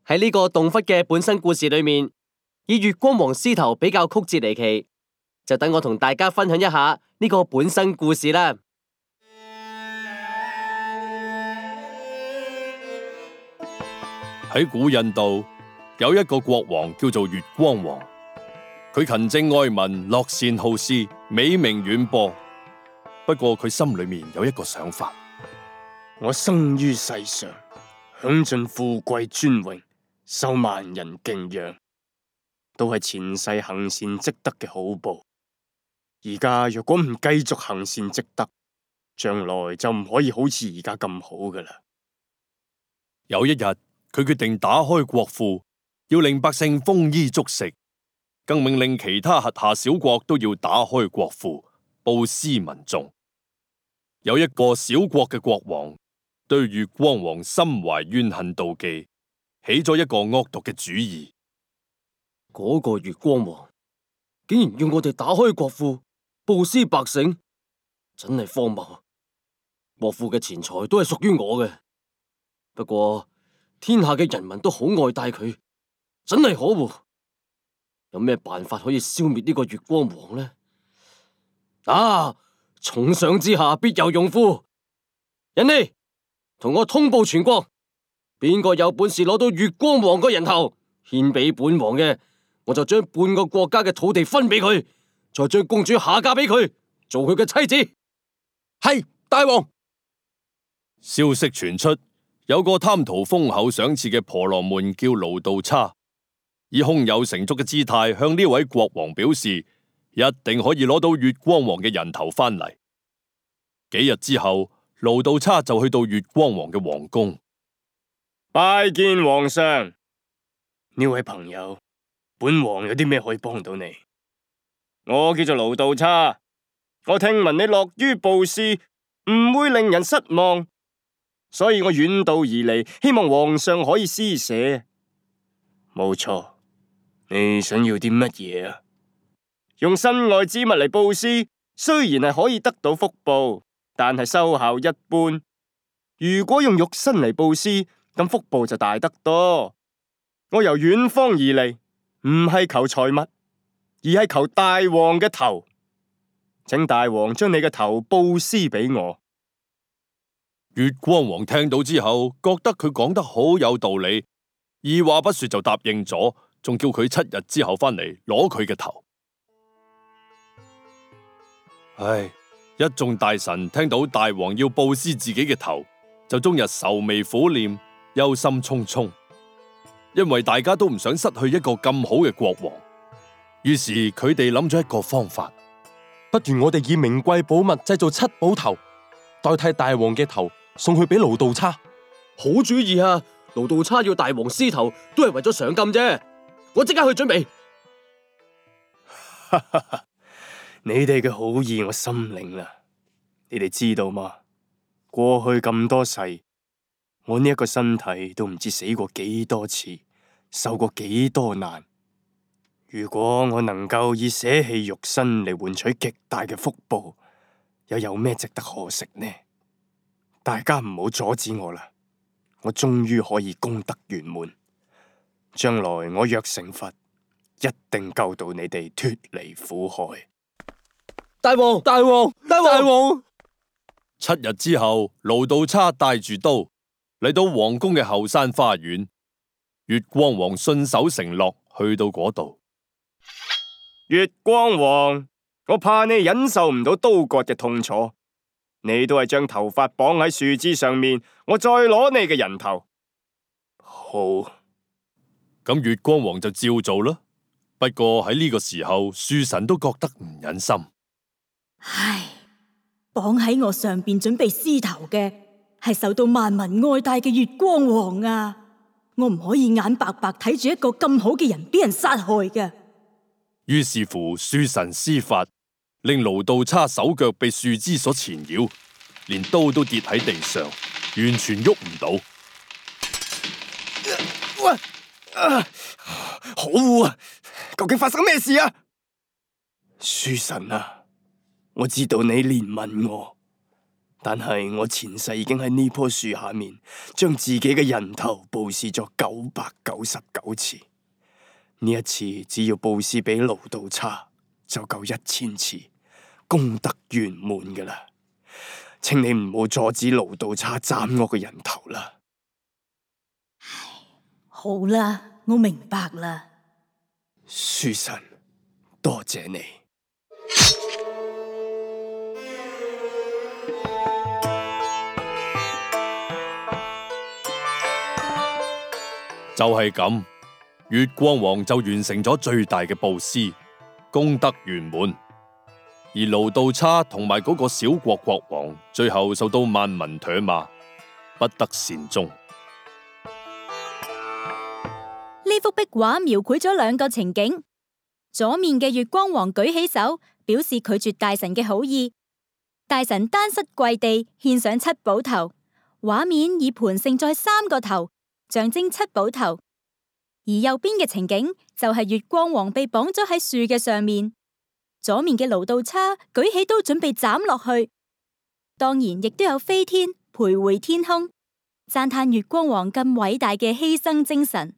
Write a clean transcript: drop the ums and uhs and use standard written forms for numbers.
喺呢個洞窟嘅本身故事裏面，以月光王獅頭比較曲折離奇，就等我同大家分享一下呢個本身故事啦。喺古印度有一個國王叫做月光王，佢勤政愛民，樂善好施，美名遠播。不過佢心裏面有一個想法：我生於世上，享盡富貴尊榮，受萬人敬仰，都係前世行善積德嘅好報。而家若果唔繼續行善積德，將來就唔可以好似而家咁好噶啦。有一日，佢決定打開國庫，要令百姓豐衣足食，更命令其他轄下小國都要打開國庫，布施民眾。有一個小國嘅國王對月光王心懷怨恨妒忌，起咗一個惡毒嘅主意。嗰個月光王竟然要我哋打開國庫，布施百姓，真係荒謬。國庫嘅錢財都係屬於我嘅，不過天下嘅人民都好愛戴佢，真係可惡。有咩辦法可以消滅呢個月光王呢？啊！重賞之下必有勇夫，人呢，同我通報全國，邊個有本事攞到月光王個人頭獻俾本王嘅，我就將半個國家嘅土地分俾佢，再將公主下嫁俾佢，做佢嘅妻子。係大王。消息傳出，有個貪圖豐厚賞賜嘅婆羅門叫盧道叉，以胸有成竹嘅姿態向呢位國王表示，一定可以攞到月光王嘅人頭翻嚟。幾日之後，盧道叉就去到月光王嘅皇宮，拜見皇上。呢位朋友，本王有啲咩可以幫到你？我叫做盧道叉，我聽聞你樂於布施，唔會令人失望，所以我遠道而嚟，希望皇上可以施捨。冇錯，你想要啲乜嘢啊？用身外之物嚟布施，雖然係可以得到福報，但係收效一般。如果用肉身嚟布施，咁福報就大得多。我由遠方而嚟，唔係求財物，而係求大王嘅頭。請大王將你嘅頭布施俾我。月光王聽到之後，覺得佢講得好有道理，二話不說就答應咗，仲叫佢7日之後翻嚟攞佢嘅頭。唉，一眾大臣聽到大王要布施自己嘅頭，就終日愁眉苦臉，憂心忡忡，因為大家都唔想失去一個咁好嘅國王。於是佢哋諗咗一個方法，不如我哋以名貴寶物製造7寶頭，代替大王嘅頭送去俾盧道叉。好主意啊！盧道叉要大王獅頭都係為咗賞金啫，我即刻去準備。你哋嘅好意我心領啦。你哋知道嗎？過去咁多世，我呢一個身體都唔知死過幾多次，受過幾多難。如果我能夠以捨棄肉身嚟換取極大嘅福報，又有咩值得可惜呢？大家唔好阻止我啦！我終於可以功德圓滿，將來我若成佛，一定救到你哋脫離苦海。大王，大王，大王！7日之後，盧道叉帶住刀嚟到皇宮嘅後山花園，月光王信守承諾，去到嗰度。月光王，我怕你忍受唔到刀割嘅痛楚，你都係將頭髮綁喺樹枝上面，我再攞你嘅人頭。好，咁月光王就照做啦。不過喺呢個時候，樹神都覺得唔忍心。唉，綁喺我上邊準備獅頭嘅係受到萬民愛戴嘅月光王啊！我唔可以眼白白睇住一個咁好嘅人俾人殺害嘅。於是乎，樹神施法，令盧道叉手腳被樹枝所纏繞，連刀都跌喺地上，完全喐唔到。可惡啊！究竟發生咩事啊？樹神啊，我知道你憐憫我，但係我前世已經喺呢棵樹下面，將自己嘅人頭布施咗999次。呢一次只要布施俾盧道叉，就夠1000次，功德圓滿噶啦。請你唔好阻止盧道叉斬我嘅人頭啦。好啦，我明白啦。書神，多謝你。就係咁，月光王就完成咗最大嘅布施，功德圓滿。而盧道叉同埋嗰個小國國王，最後受到萬民唾罵，不得善終。呢幅壁畫描繪咗2個情景，左面嘅月光王舉起手，表示拒絕大臣嘅好意，大臣單膝跪地獻上7寶頭，畫面以盤盛載3個頭，象徵7寶頭。而右邊嘅情景就係月光王被綁咗喺樹嘅上面，左面嘅盧道叉舉起刀準備斬落去，當然亦都有飛天徘徊天空，讚嘆月光王咁偉大嘅犧牲精神。